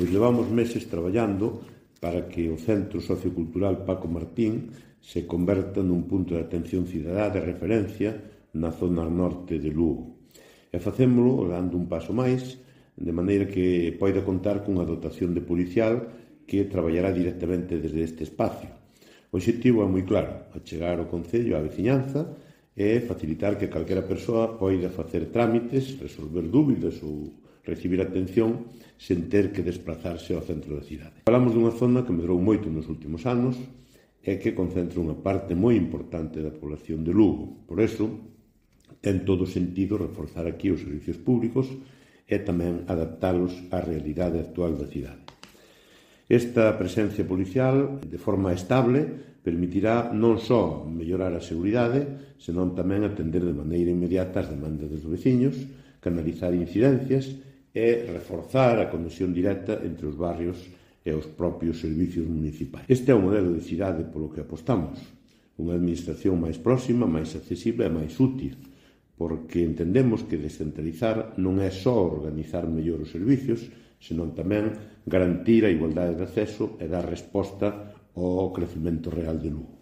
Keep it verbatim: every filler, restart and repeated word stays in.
Pois levamos meses traballando para que o Centro Sociocultural Paco Martín se converta nun punto de atención cidadá de referencia na zona norte de Lugo. E facémolo dando un paso máis, de maneira que poida contar cunha dotación de policial que traballará directamente desde este espacio. O obxectivo é moi claro, achegar o Concello á veciñanza e facilitar que calquera persoa poida facer trámites, resolver dúbidas ou recibir atención sen ter que desplazarse ao centro da cidade. Falamos dunha zona que medrou moito nos últimos anos e que concentra unha parte moi importante da población de Lugo. Por iso, ten todo sentido reforzar aquí os servicios públicos e tamén adaptalos á realidade actual da cidade. Esta presencia policial, de forma estable, permitirá non só mellorar a seguridade, senón tamén atender de maneira inmediata as demandas dos veciños, canalizar incidencias e reforzar a conexión directa entre os barrios e os propios servicios municipais. Este é o modelo de cidade polo que apostamos, unha administración máis próxima, máis accesible e máis útil, porque entendemos que descentralizar non é só organizar mellor os servicios, senón tamén garantir a igualdade de acceso e dar resposta ao crecemento real de Lugo.